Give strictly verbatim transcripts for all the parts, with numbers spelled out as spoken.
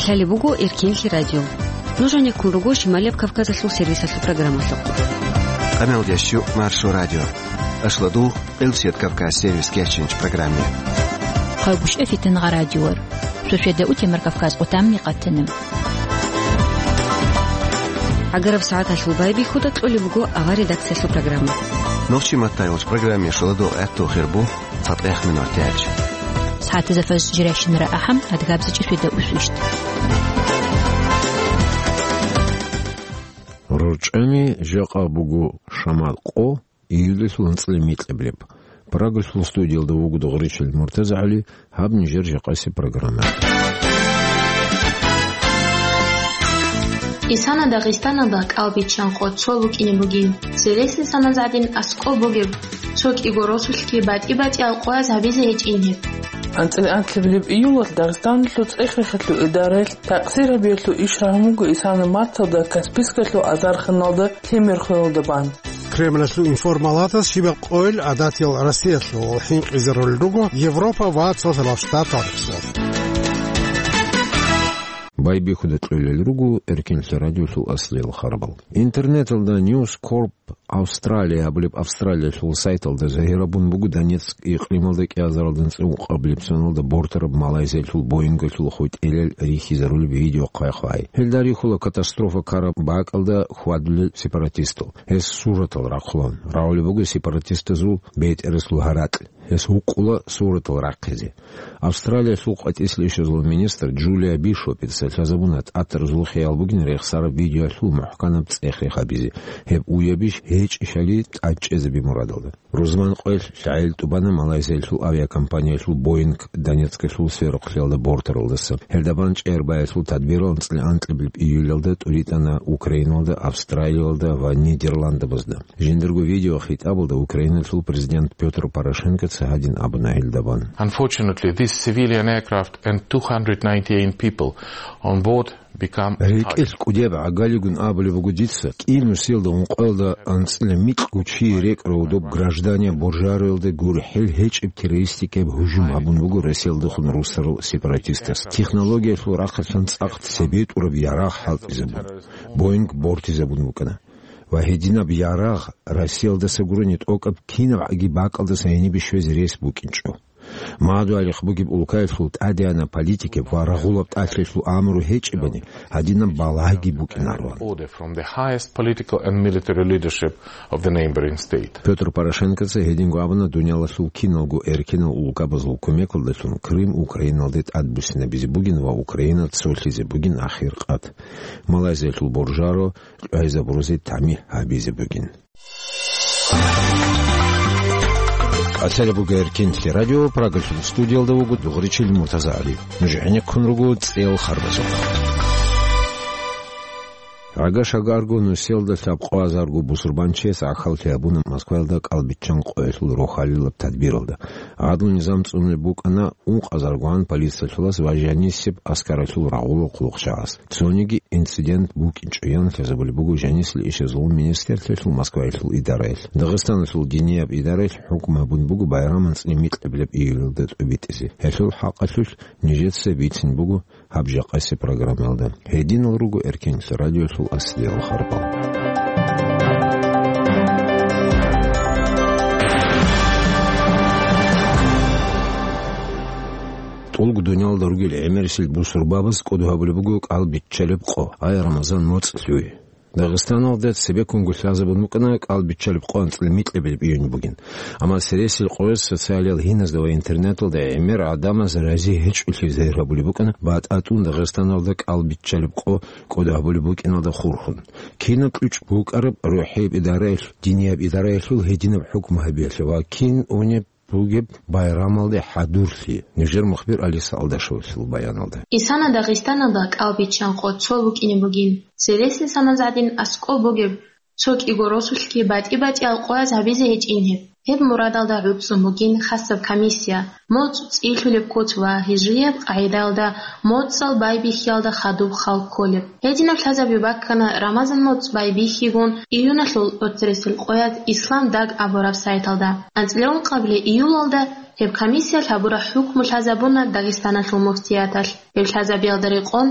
Лъалеб буго Эркенлъи радио. Нуж гьанеккун руго Шималияб Кавказалъул сервисалъул программалъухъ. Къамелдеш чу Маршо радио. Ашладул Къилчият Кавказ сервис кечинч программе. Хъагушев Фитнагъа радиор. Суседа утемар Кавказ отамни къатана. Агараб сагӀаталъул байбихьуда кьолеб буго авар редакциялъул программа. Нохчи маттайолч программе шоладул гӀатту хирбу. ЦатӀех минут тяч. СагӀатазда фаз жирайщинара ахӀам, адгабзичӀи светда усвищт. РорчӀами жакъа буго шамал къо, июлалъул анцӀила микьабилеб. Прагалъул студиялда вуго Дугъричил МуртазагӀали, гьаб нижер жакъаси программа. Исана Дагъистаналда кӀалбиччан къо цо букӀине бугин. Цересел саназгӀадин аскӀоб бугеб, цо кӀиго росулъги батӀи-батӀиял къояз гьабизе гьечӀин гьеб. АнцӀила анлъабилеб июлалъ Дагъистаналъул цӀех-рехалъул идараялъ такъсир гьабиялъул иш рагьун буго Исана марталда Каспийскалъул азарханалда Темирхуялда бан. Кремлалъул информалатас щибаб къойил гӀадатиял Россиялъул хӀинкъизарулел руго Европа ва Цоцалъ Штаталъул. Байбихьуда кьолел руго Эркенлъи радиолъул аслиял харбал. Интернеталда News Corp Австралия абулеб Австралиялъул сайталда загьирабун буго Донецк икълималда кӀиазаралда анцӀила ункъабилеб соналда бортараб Малайзиялъул Боингалъул хутӀилел рихьизарулеб видеохъайхъвай. Гьелда рихьула катастрофа ккараб бакӀалда хьвадулел сепаратистал. Гьес суратал рахъулан. Рагъулеб буго сепаратистазул бетӀерасул гьаракь. Гьес гьукъула суратал рахъизе. Австралиялъул къватӀислъи ишазул министр Джулия Бишопица лъазабуна тӀатаразул хиял бугин рехсараб видеоялъул мухӀканаб цӀех-рех гьабизе. Гьеб уябищ гьечӀищали тӀадчӀезаби мурадалда. Рузман къоялъ лъагӀел тӀубана Малайзиялъул авиакомпаниялъул Боинг Донецкалъул сверухълъиялда бортаралдаса. Гьелда бан чӀегӀербаялъул тадбирал анцӀила анкьабилеб июлалда тӀуритӀана Украиналда, Австралиялда ва Нидерландабазда. Жиндирго видеохитӀабалда Украиналъул президент Пётр Порошенкоца гьадин абуна гьелда бан. Unfortunately, this civilian aircraft and two hundred ninety-eight people on board become рекӀелъ кӀудияб гӀагалигун абулеб буго дица, кӀинусиялда ункъоялда анцӀила микьго чи рекӀарав доб граждания Боржароялда гурхӀел гьечӀеб террористикаяб гьужум гьабун буго Россиялдехун русарал сепаратистас. Технологиялъул рахъалъан цӀакъ цебетӀураб ярагъ хӀалтӀизабун, Боинг бортизабун букӀана. Ва гьединаб ярагъ Россиялдаса гурони тӀокӀаб кинабгӀаги бакӀалдаса гьенибе щвезе рес букӀинчӀо. Мадугьалихъ бугеб улкаялъул тӀадегӀанаб политикаб ва рагъулаб тӀалъиялъул амру гьечӀебани, гьадинаб балагьги букӀинарван. Order from the highest political and military leadership of the neighboring state. Пётр Порошенкоца гьединго абуна, дуниялалъул киналго эркенал улкабазул кумекалдалъун Крым Украиналде тӀадбуссинабизе бугин ва Украина цолъизе бугин ахир къат. Малайзиялъул Боржаро кьвайзабурузе тамихӀ гьабизе бугин. Асари буго Эркенлъи радио, Прагалъул студиялда вуго Дугъричил Муртазагьали. Нуж гӀенеккун руго цӀел харбазухъ. Гьага шагарго нусиялда лъабкъо азарго бусурбанчияс гӀахьаллъи гьабуна Москваялда кӀалбиччан къоялъул рохалилаб тадбиралда. Гьадул низам цӀунулеб букӀана ункъазаргоан полициялъулас ва жанисеб аскаралъул рагъулал хъулухъчагӀаз. Цониги инцидент букӀинчӀоян лъазабулеб буго жанисел ишазул министрлъиялъул Москваялъул идараялъ. Дагъистаналъул динияб идараялъ хӀукму гьабун буго байрам анцӀила микьабилеб июлалда тӀубитӀизе. Гьелъул хӀакъалъулъ нижеца бицин буго гьаб жакъаси программаялда. Гьединал руго Эркенлъи радиолъул аслиял харбал. ТӀолго дуниялда ругел гӀемерисел бусурбабаз кӀодо гьабулеб буго кӀалбиччалеб къо, ай Рамазан моцӀ лъугӀи. Дагъистаналда цебеккунго лъазабун букӀана кӀалбиччалеб къо анцӀила микьабилеб июнь бугин. Амма цересел къояз социалиял гьиназда ва интернеталда гӀемер гӀадамаз рази гьечӀолъи загьир гьабулеб букӀана батӀа тӀун Дагъистаналда кӀалбиччалеб къо кӀодо гьабулеб букӀиналда хурхун. Кинаб кьучӀ букӀараб рухӀияб идараялъ, динияб идараялъул гьединаб хӀукму гьабиялъе ва кин унеб бугеб байрамалде хӀадурлъи, нижер мухбир Алиса Алдашевалъул баяналда. Исана Дагъистаналда кӀалбиччан къо цо букӀине бугин. Цересел саназгӀадин аскӀоб бугеб, цо кӀиго росулъги батӀи-батӀиял къояз гьабизе гьечӀин гьеб. Гьеб мурадалда гӀуцӀун бугин хасаб комиссия, моцӀ цӀилъулеб куц ва гьижрияб къагӀидаялда моцӀал байбихьиялда хадуб хал кколеб. Гьединаб лъазаби баккана Рамазан моцӀ байбихьигун июналъул оцересел къоялъ Ислам Даг абураб сайталда. АнцӀила ункъабилеб июлалда гьеб комиссиялъ гьабураб хӀукму лъазабуна Дагъистаналъул муфтияталъ. Гьеб лъазабиялда рекъон,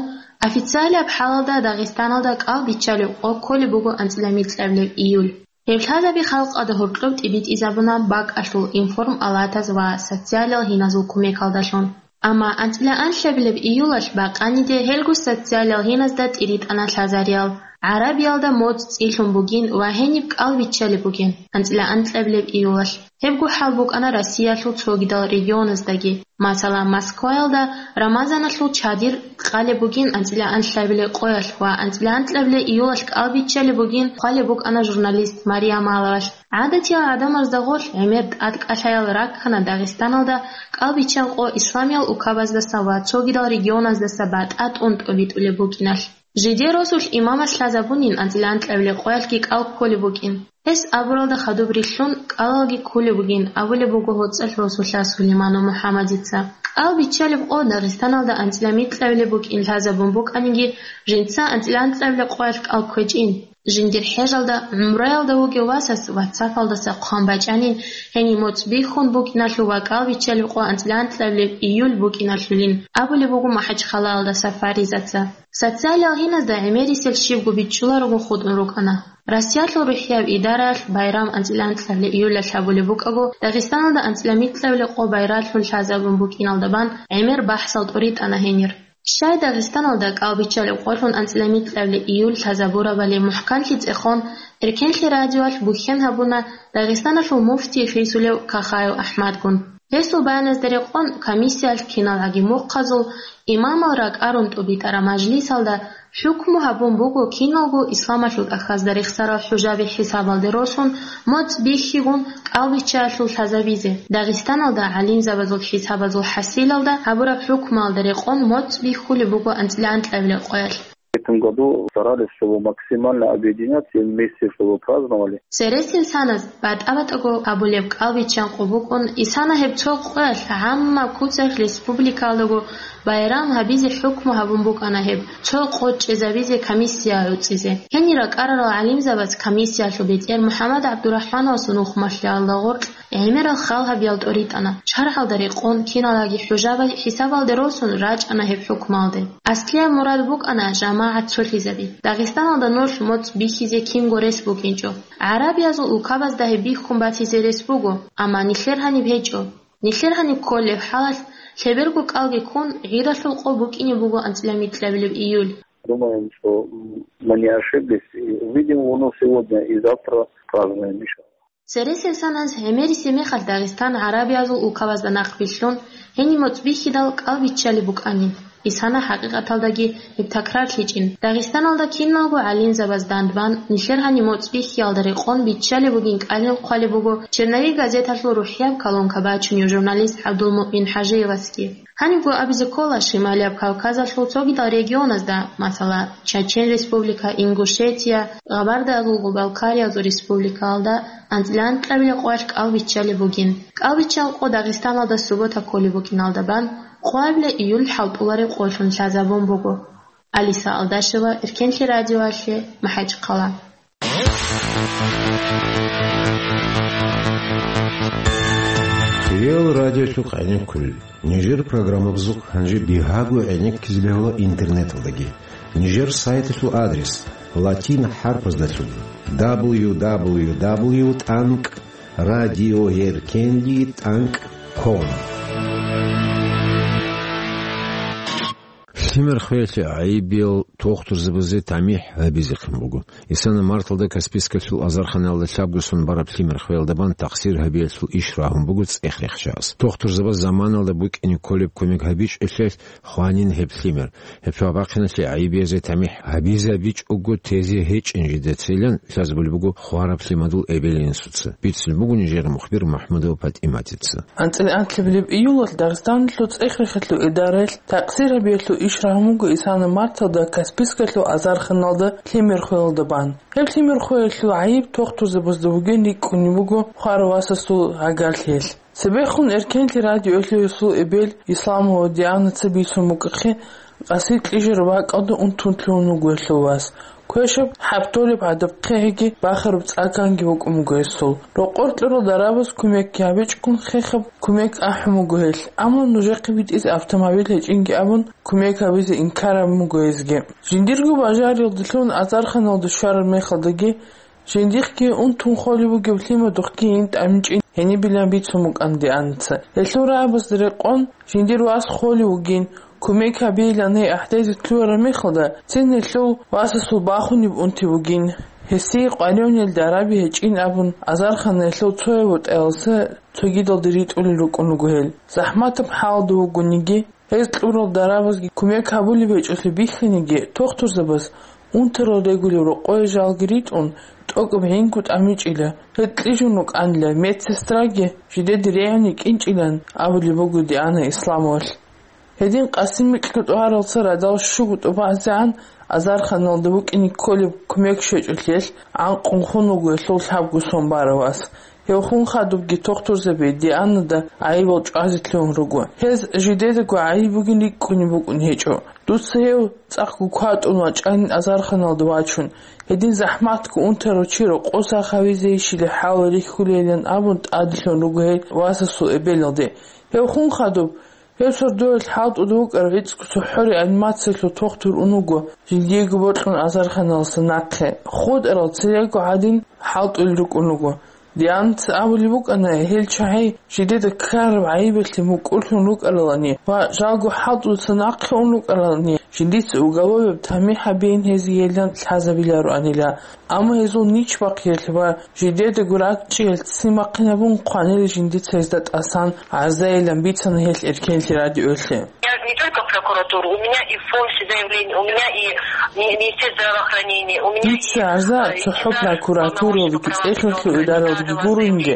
официалияб хӀалалда Дагъистаналда кӀал биччалеб къо кколеб буго анцӀила микьабилеб июль. Гьеб лъазаби халкъалда гьоркьоб тӀибитӀизабуна бакӀалъул информалатаз ва социалиал гьиназул кумекалдалъун. Амма анцӀила анлъабилеб июлалъ бакъаниде гьелго социалиал гьиназда тӀиритӀана лъазариял. ГӀарабиялда моцӀ цӀилъун бугин ва гьениб кӀал биччалеб бугин анцӀила анлъабилеб июлалъ. Гьебго хӀал букӀана Россиялъул цогидал регионаздаги. Масала, Москваялда Рамазаналъул чадир къалеб бугин анцӀила анлъабилеб къоялъ ва анцӀила анлъабилеб июлалъ кӀал биччалеб бугин хъвалеб букӀана журналист Мария Маловалъ. ГӀадатиял гӀадамазда гъорлъ гӀемер тӀадкӀалъаял раккана Дагъистаналда кӀал биччан къо исламиял укабаздаса ва цогидал регионаздаса батӀа тӀун тӀобитӀулеб букӀиналъ. Жидер росулъ имамас лъазабунин анцӀила анлъабилеб къоялъги кӀал кколеб букӀин. Гьес абуралда хадуб рилълъун кӀалалги кколеб бугин, абулеб буго гьоцӀалъ росулъа Сулейманов МухӀаммадица. КӀал биччалеб къо Дагъистаналда анцӀила микьабилеб букӀин лъазабун букӀаниги, жинца анцӀила анлъабилеб къоялъ кӀал кквечӀин. Жиндир хӀежалда, гӀумраялда вугев васас ватсапалдаса хъван бачӀанин, гьенив моцӀ бихьун букӀиналъул ва кӀал биччалеб къо анцӀила анлъабилеб июль букӀиналъулин, абулеб буго МахӀачхъалаялдаса Фаризаца. Социалиал гьиназда гӀемерисел щибго биччуларого хутӀун рукӀана. Россиялъул рухӀияб идараялъ байрам анцӀила анлъабилеб июлалъ гьабулеб букӀаго, Дагъистаналда анцӀила микьабилеб къо байралъун лъазабун букӀиналда бан гӀемер бахӀсал тӀуритӀана гьенир. Щай Дагъистаналда кӀал биччалеб къолъун анцӀила микьабилеб июль лъазабурабали мухӀканлъи цӀехон, Эркенлъи радиоялъ бухьен гьабуна Дагъистаналъул муфтий хисулев Кахаев АхӀмадгун. Гьесул баяназда рекъон, комиссиялъ киналгӀаги мухъазул имамал ракӀарун тӀубитӀараб мажлисалда хӀукму гьабун буго киналго исламалъул тӀахьазда рехсарал хӀужаби хӀисабалде росун, моцӀ бихьигун кӀал биччаялъул лъазабизе. Дагъистаналда гӀалимзабазул хӀисабазул хӀасилалда гьабураб хӀукмуялда рекъон моцӀ бихьулеб буго анцӀила анлъабилеб къоялъ. В этом году старались, чтобы максимально объединяться и вместе, чтобы праздновали. Цересел саназ батӀа-батӀаго абулеб кӀал биччан къо букӀун, исана гьеб цо къоялъ гӀамма куцалъ республикаялдаго байрам гьабизе хӀукму гьабун букӀана гьеб, цо къо чӀезабизе комиссия гӀуцӀизе. Гьенир ракӀарарал гӀалимзабаз комиссиялъул бетӀер МухӀаммад ГӀабдурахӀмановасул нухмалъиялда гъоркь гӀемерал хал гьабиял тӀоритӀана, шаргӀалда рекъон, киналгӀаги хӀужаби хӀисабалде росун рачӀана гьеб хӀукмалде. Аслияб мурад букӀана жамагӀат цолъизаби. Дагъистаналда нолъ моцӀ бихьизе кинго рес букӀинчӀо. ГӀарабиязул улкабазда гьеб бихьун батизе рес буго, амма нилъер гьаниб гьечӀо. Нилъер гьаниб кколеб хӀалалъ, лъеберго кӀалги ккун, гӀиралъул къо букӀине буго анцӀила микьабилеб июль. Думаем, что, м, мы не ошиблись, и увидим луну сегодня и завтра празднуем, иншаллах. Цересел саназ гӀемерисеб мехалъ Дагъистан гӀарабиязул улкабазда нахъ билълъун, гьениб моцӀ бихьидал кӀал биччалеб букӀанин. Исана хӀакъикъаталдаги гьеб такрарлъичӀин. Дагъистаналда киналго гӀалимзабаз дандбан, нилъер гьаниб моцӀ бихьиялда рекъон биччалеб бугин кӀалин хъвалеб буго «Черновик» газеталъул рухӀияб колонка бачунев журналист ГӀабдулмуъмин ХӀажиевасги. Гьанибго абизе ккола Шималияб Кавказалъул цогидал регионазда, масала, Чечен Республика, Ингушетия, Гъабардаязулго Балкариязул республикаялда анцӀила анкьабилеб къоялъ кӀал биччалеб бугин. КӀал биччал къо Дагъистаналда суббота кколеб букӀиналда бан, къоабилеб июль хӀалтӀулареб къолъун лъазабун буго. Алиса Алдашева, Эркенлъи радиоялъе, МахӀачхъала. Реал радиолъухъ гӀенеккулел. Нижер программабазухъ гьанже бигьаго гӀенеккизе бегьула интернеталдаги. Нижер сайталъул адрес: латин хӀарпаздалъун: дабл ю дабл ю дабл ю тӀанкӀ радиоеркенлъи тӀанкӀ ком. Лъимер хвеялъе гӀайибиял тухтурзабазе тамихӀ гьабизехъин буго. Исана марталда Каспийскалъул азарханалда лъабго сон бараб лъимер хвеялда бан тахсир гьабиялъул иш рагьун буго цӀех рехчаялъ. Тухтурзабаз заманалда букӀине кколеб кумек гьабичӀелъул хванин гьеб лъимер. Гьеб цо абахъиналъе гӀайибиязе тамихӀ гьабизабичӀого тезе гьечӀин жидецайилан лъазабулеб буго хвараб лъимадул эбел-инсуца. Бицун буго нижер мухбир МахӀмудова ПатӀиматица. АнцӀила анлъабилеб июлалъ Дагъистаналъул цӀех рехиялъул идараялъ тахсир гьабиялъул иш рагьун буго исана марталда Каспийскалъул Каспийскалъул азарханалда лъимер хвелалда бан. Гьеб лъимер хвелалъул гӀайиб тохтурзабазда бугин рикӀкӀунеб буго хварав васасул гӀагарлъиялъ. Цебехун Эркенлъи радиоялъул эбел Исламова Дианаца бицун букӀахъе, къаси кьижараб бакӀалда унтун лъугьун вуго гьелъул вас. Квешаб хӀаб толеб гӀадаб хъегӀиги бахараб цӀаканги букӀун буго гьесул. Рокъор кьурал дарабаз кумекги гьабичӀгун хехаб кумек ахӀун буго гьелъ, амма нужехъе битӀизе автомобиль гьечӀинги абун, кумек гьабизе инкар гьабун буго гьезги. Жиндирго бажариялдалъун азарханалда щвараб мехалдаги, жиндихъги унтун холев вугев лъимадухъги ин тӀамичӀин гьенибилан бицун букӀана Дианаца. Гьелъул рагӀабазда рекъон, жиндир вас холев вугин, кумек гьабейилан гьей ахӀдезе лъугьараб мехалда, цин гьелъул васасул бахунеб унти бугин. Гьесие къваригӀунел дараби гьечӀин абун, азарханаялъул цояб бутӀаялдаса цогидалде ритӀулел рукӀун руго гьел. ЗахӀматаб хӀалалда вугониги, гьез кьурал дарабазги кумек гьабулеб гьечӀолъи бихьиниги, тохтурзабаз унтарал регулев рокъое жалги ритӀун, тӀокӀаб гӀинго тӀамичӀила, гьел кьижун рукӀанила, медсестраги жидеде регӀуни кӀинчӀилан абулеб буго Диана Исламовалъ. Гьедин къаси микьго тӀугьаралца радал щуго тӀубазегӀан азарханалда букӀине кколеб кумек щвечӀолъиялъ гӀанкъун хун вуго гьелъул лъабго сон барав вас. Гьев хун хадубги тохтурзаби Дианада гӀайибал чӀвазе лъугьун руго. Гьез жидедаго гӀайиб бугин рикӀкӀунеб букӀун гьечӀо. Дуца гьев цӀакъго кватӀун вачӀанин азарханалда вачун, гьедин захӀматго унтарав чи рокъоса гьавизейищила хӀал рихьулейилан абун тӀаделъун руго гьей васасул эбелалде. Гьев хун хадуб, гьев сордоялъ хӀалтӀуда вукӀарав гӀицӀго цохӀо реанимациялъул тохтур ун вуго, жиндиего бокьун азарханалдаса нахъе. ХутӀарал цереги гӀадин хӀалтӀулел рукӀун руго. Дианаца абулеб букӀана, гьел чагӀи жидеда ккараб гӀайибалъе мукӀурлъун рукӀаралани ва жалго хӀалтӀудаса нахъе ун рукӀаралани, жиндица уголовияб тамихӀ гьабейин гьезиейилан лъазабилароанила. Амма гьезул ничбахъиялъ ва жидедаго ракӀчӀиялъ ццин бахъинабун хъванила жиндица гьезда тӀасан гӀарзайилан бицана гьелъ Эркенлъи радиоялъе. Я не только в прокуратуру, у меня и в фонсе заявление, у меня и ми-, Министерство здравоохранения, у меня и, Дица гӀарза э, цохӀо Генеральный прокуратуралдаги цӀехлъи идаралдаги гурунги,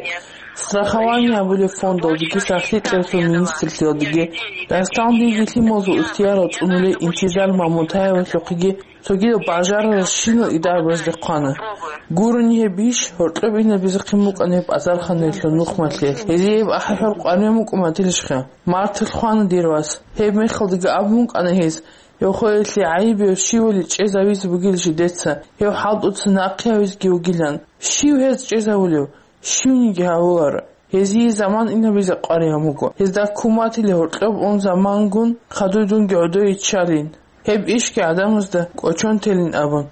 страхование абулеб фондалдаги, сахлъи кьеклъул министрлъиялдаги, ралъдалги лъималазул ихтиярал цӀунулей Интизар Мамутаевалъухъеги цогидал бажараралщинал идарабазде хъвана. Гурони гьеб иш, гьоркьоб инабизехъин букӀана гьеб азарханаялъул нухмалъиялъ. Гьезие гьеб ахӀи-хӀур къваригӀун букӀун батилищха? Марталъ хвана дир вас. Гьеб мехалдаги абун букӀана гьез, гьев хвеялъе гӀайиб гьев щивали чӀезавизе бугила жидеца, гьев хӀалтӀуца нахъе гьавизеги вугилан. Щив гьез чӀезавулев? Щивниги гьавуларо. Гьезие заман инабизе къваригӀун буго. Гьезда ккун батила гьоркьоб ун замангун, хадуй дунги гӀодой иччалин. Гьеб ишги гӀадамазда кӀочон телин абун.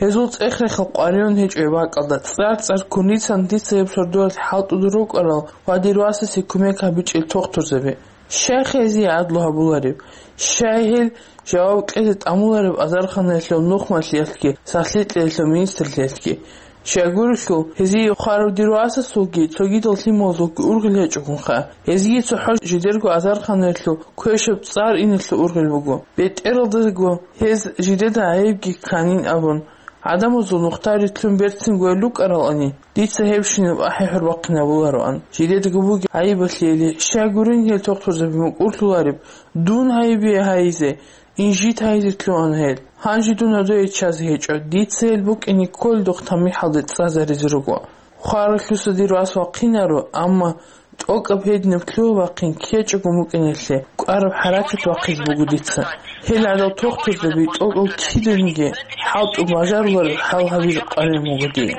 Гьезул цӀех-рехал къваригӀун гьечӀо гьеб бакӀалда, цӀар-цӀар ккун рицана дица гьеб сордоялъ хӀалтӀуда рукӀарал ва дир васасе кумек гьабичӀел тохтурзаби. Щай гьезие гӀадлу гьабулареб? Щай гьел жаваб кьезе тӀамулареб азарханаялъул нухмалъиялъги, сахлъи кьеялъул министрлъиялъги? Щайгурелъул, гьезие хварав дир васасулги цогидал лъималазулги ургъел гьечӀогунха. Гьезие цохӀо жидерго азарханаялъул квешаб цӀар иналъул ургъел буго. БетӀералдаго гьез жидеда гӀайибги кканин абун, гӀадамазул нухда рилълъун берцин гвел рукӀаралани, дица гьебщинаб ахӀи-хӀур бахъинабулароан. Жидедаго бугеб гӀайибалъейили, щай гурин гьел тохтурзаби мукӀурлъулареб, дун гьайибе гьайизе, инжит гьайизе лъугьана гьел. Гьанже дун гӀодое ччазе гьечӀо, дица гьел букӀине кколдухъ тамихӀалде цӀазаризе руго. Хваралъуса дир вас вахъинаро, амма тӀокӀаб гьединаб лъугьа-вахъин ккечӀого букӀиналъе кӀвараб хӀаракат бахъизе буго дица. Гьел гӀадал тохтурзаби тӀокӀав киданиги хӀалтӀу бажарулареб хӀал гьабизе къваригӀун буго дие.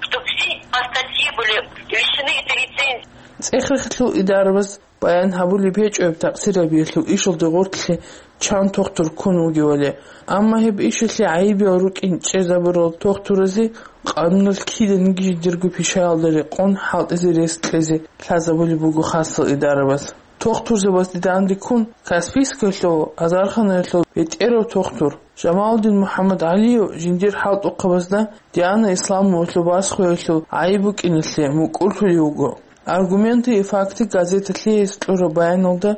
Чтоб все по статье были лишены этой лицензии. ЦӀех-рехалъул идарабаз баян гьабулеб гьечӀо гьеб такъсирабиялъул ишалде гъоркьлъи чан тохтур ккун вугевали. Амма гьеб ишалъе гӀайибиял рукӀин чӀезабурал тохтуразе къануналъ киданиги жидерго пишаялда рекъон хӀалтӀизе рес кьезе лъазабулеб буго хасал идарабаз. Тохтурзабазде данде ккун, Каспийскалъул азарханаялъул бетӀерав тохтур Жамалудин МухӀаммадгӀалиев жиндир хӀалтӀухъабазда Диана Исламовалъул басхуялъул гӀайиб букӀиналъе мукӀурлъулев вуго. «Аргументы и факты» газеталъе гьес кьураб баяналда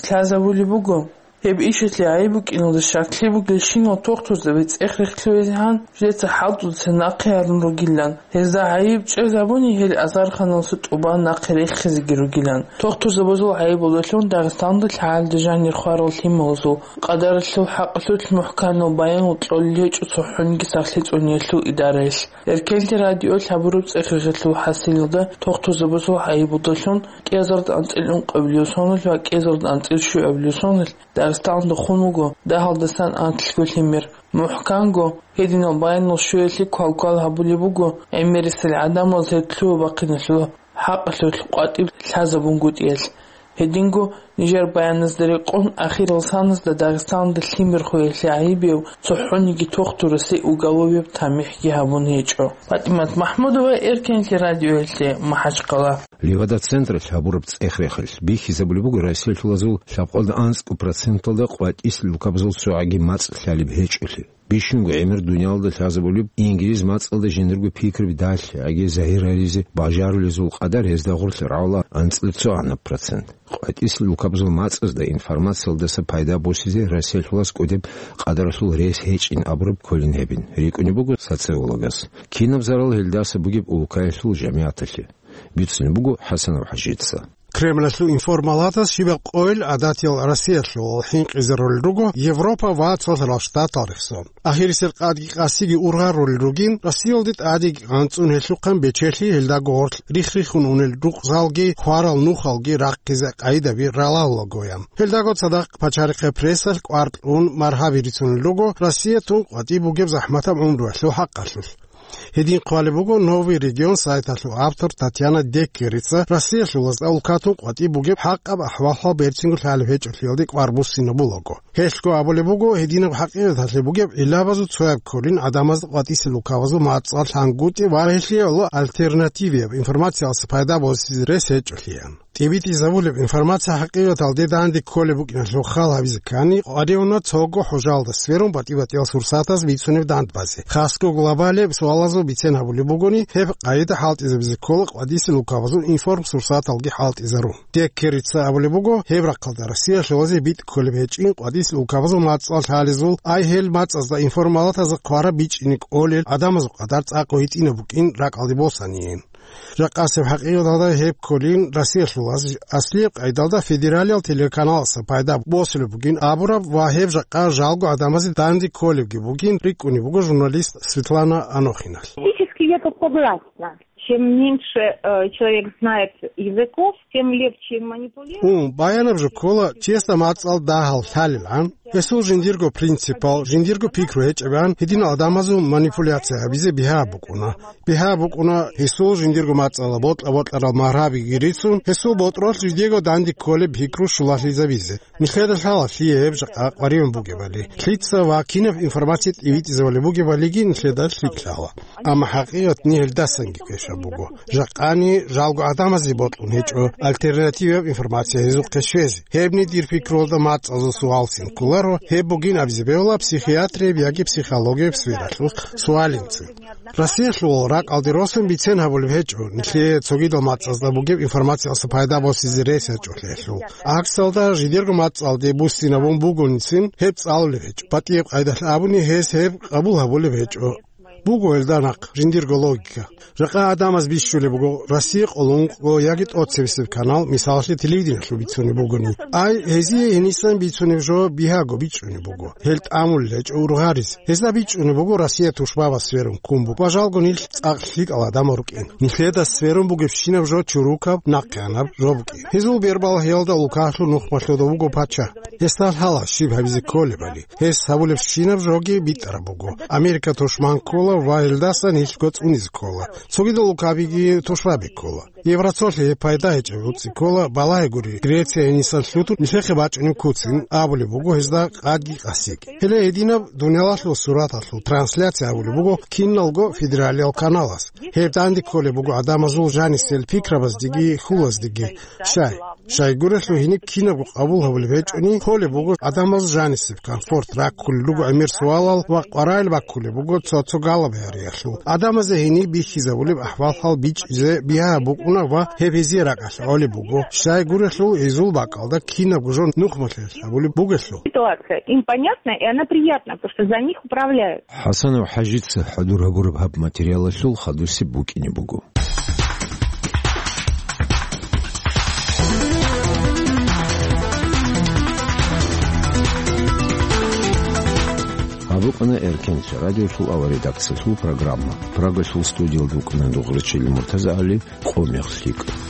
лъазабулеб буго, Гьеб ишалъе гӀайиб букӀиналда щаклъи бугелщинал тохтурзаби цӀех-рехлъугьезегӀан жеца хӀалтӀудаса нахъе гьарун ругилан. Гьезда гӀайиб чӀезабуни гьел азарханалъа тӀубан нахъе рехизеги ругилан. Тохтурзабазул гӀайибалдалъун Дагъистанда лъагӀалида жанир хварал лъималазул къадаралъул хӀакъалъулъ мухӀканал баянал кьолел гьечӀо цохӀониги сахлъи цӀуниялъул идараялъ. Эркенлъи радиоялъ гьабураб цӀех-рехелъул хӀасилалда тохтурзабазул гӀайибалдалъун кӀиазарда анцӀила ункъабилеб соналъ ва кӀиазарда анцӀила щуабилеб соналъ Дагъистанда хун вуго дагьалдасан анлъго лъимер. МухӀканго, гьединал баянал щуялъе квалквал гьабулеб буго гӀемерисел гӀадамал гьеб лъугьа-бахъиналъул хӀакъалъулъ къватӀиб лъазабунгутӀиялъ. Гьединго, нижер баяназда рекъон, ахирал саназда Дагъистанда лъимер хвеялъе гӀайибияв цохӀониги тохтурасе уголовияб тамихӀги гьабун гьечӀо. ПатӀимат МахӀмудова, Эркенлъи радиоялъе, МахӀачхъала. Левада-централъ гьабураб цӀех-рехелъ бихьизабулеб буго Россиялъулазул лъабкъоялда анцӀго проценталда къватӀисел улкабазул цогӀаги мацӀ лъалеб гьечӀолъи. Бищунго гӀемер дуниялалда лъазабулеб ингилиз мацӀалда жиндирго пикраби далъи, яги загьир гьаризе бажарулезул къадар гьезда гъорлъ рагӀула анцӀила цогӀанаб процент. КъватӀисел улкабазул мацӀазда информациялдаса пайда босизе Россиялъулас кӀудеб къадаралъул рес гьечӀин абураб кколин гьебин, рикӀкӀунеб буго социологас. Кинаб зарал гьелдаса бугеб улкаялъул жамигӀаталъе? Бицунеб буго ХӀасанов ХӀажица. Кремлалъул информаладас щибаб къойил гӀадатиял Россиялъул хӀинкъизарулел руго Европа ва Цоцарал Штатал рехсон. Ахирисел къадги къасиги ургъарулел ругин, Россиялде тӀадеги анцӀун гьелъухъан бечелъи, гьелдаго гъорлъ рихх-риххун унел рукъзалги, хварал нухалги рахъизе къагӀидаби ралалулагоян. Гьелдаго цадахъ пачарихъе прессалъ кӀвар кьун маргьаби рицунел руго Россия тун къватӀиб бугеб захӀматаб гӀумруялъул хӀакъалъулъ. Гьедин хъвалеб буго «Новый регион» сайталъул автор Татьяна Деккерица Россиялъулазда улкатун къватӀиб бугеб хӀакъаб ахӀвал-хӀал берцинго лъалеб гьечӀолъиялде кӀвар буссинабулаго. Гьелъго абулеб буго, гьединаб хӀакъикъаталъе бугеб гӀиллабазул цояб кколин гӀадамазда къватӀисел улкабазул мацӀал лъангутӀи ва гьелъие гӀоло альтернативияб информациялдаса пайда босизе рес гьечӀолъиян. ТӀибитӀизабулеб информация хӀакъикъаталде данде кколеб букӀиналъул хал гьабизе ккани, къваригӀуна цого хӀужалда сверун батӀи-батӀиял сурсатаз бицунеб дандбазе, хасго глобалияб суалазул бицен гьабулеб бугони, гьеб къагӀида хӀалтӀизабизе ккола къватӀисел улкабазул информсурсаталги хӀалтӀизарун. Деккерица абулеб буго, гьеб рахъалда Россиялъулазе битӀ кколеб гьечӀин къватӀисел улкабазул мацӀал лъалезул, ай гьел мацӀазда информалатазда хъвараб бичӀчӀине кӀолел гӀадамазул къадар цӀакъ гьитӀинаб букӀин ракӀалде босаниен. Жакъасеб хӀакъикъаталда гьеб кколин Россиялъулаз аслияб къайдалда федералиял телеканаласа пайда босулеб бугин абураб ва гьеб жакъа жалго гӀадамазе данде кколебги бугин рикӀкӀунеб буго журналист Светлана Анохиналъ. Фактически я согласна. Чем меньше э, человек знает языков, тем легче манипулировать. Ун, баянаб жо ккола, чиясда мацӀал дагьал лъалилан, гьесул жиндирго принципал, жиндирго пикру гьечӀебан, гьединал гӀадамазул манипуляция гьабизе бигьа букӀуна. Бигьа букӀуна гьесул жиндирго мацӀала бокьа-бокьарал маргьабиги рицун, гьесул ботӀролъ жидего данде кколеб пикру щулалъизабизе. Нилъеда лъала лъие гьеб жакъа къваригӀун бугебали, лъица ва кинаб информация тӀибитӀизабулеб бугебалиги нилъеда лъикӀ лъала. Амма хӀакъикъатни гьелдасанги квешаб буго. Жакъани жалго гӀадамазе бокьун гьечӀо альтернативияб информация гьезухъе щвезе. Гьебни дир пикруялда мацӀазул суалцин кколаро, гьеб бугин абизе бегьула психиатрияб яги психологияб сфералъул суалинцин. Россиялъул ракӀалде росун бицен гьабулеб гьечӀо, нилъее цогидал мацӀазда бугеб информациялъа пайда босизе рес гьечӀолъиялъул. ГӀаксалда, жидерго мацӀалде буссинабун бугоницин гьеб цӀалулеб гьечӀо. БатӀияб къайдалъ абуни, гьес гьеб къабул гьабулеб гьечӀо. Буго гьелда нахъ жиндирго логика. Жакъа гӀадамаз бищулеб буго, Россия къоло ункъго яги тӀоцебесеб канал, мисалалъе, телевидениялъул бицунеб бугони. Ай, гьезие гьенисан бицунеб жо бигьаго бичӀчӀунеб буго. Гьел тӀамулел гьечӀо ургъарис. Гьезда бичӀчӀунеб буго Россия тушбабаз сверун ккун буго ва жалго нилъ цӀакъ лъикӀал гӀадамал рукӀин. Нилъеда сверун бугебщинаб жо чурукаб, нахъеянаб жо букӀин. Гьезул бербалъиялда улкалъул нухмалъуда вуго пачагь. Гьесда лъала щиб гьабизе кколебали. Гьес гьабулебщинаб жоги битӀараб буго. Америка тушман ккола ва гьелдаса нилъго цӀунизе ккола. Цогидал улкабиги тушбаби ккола. Евросоюзалъе гьеб пайда гьечӀеб гӀуцӀи ккола, балагье гури, Греция гьенисан лъутун нилъехъе бачӀунеб куцин абулеб буго гьезда къадги къасиги. Гьеле гьединаб дуниялалъул сураталъул трансляция гьабулеб буго киналго федералиял каналас. Гьеб данде кколеб буго гӀадамазул жанисел пикрабаздеги хьулаздеги. Щай? Щайгурелъул гьениб кинабго къабул гьабулеб гьечӀони, холеб буго адамаз жанисеб комфорт раккулел руго гӀемер суалал ва къваригӀел баккулеб буго цо-цо галабиялъул. Адамазе гьениб бихьизабулеб ахӀвал-хӀал бичӀчӀизе бигьа букӀуна ва гьеб гьезие ракӀалъ гӀолеб буго. Щайгурелъул гьезул бакӀалда кинабго жо нухмалъи гьабулеб бугелъул. Ситуация им понятна, и она приятна, потому что за них управляют. ХӀасанов ХӀажица хӀадур гьабураб гьаб материалалъул хадусеб букӀине буго. Гьаб букӀана Эркенлъи радиолъул аваредакциялъул программа. Прагалъул студиялда вукӀана Дугърачил МуртазагӀали, Къо мех лъикӀ.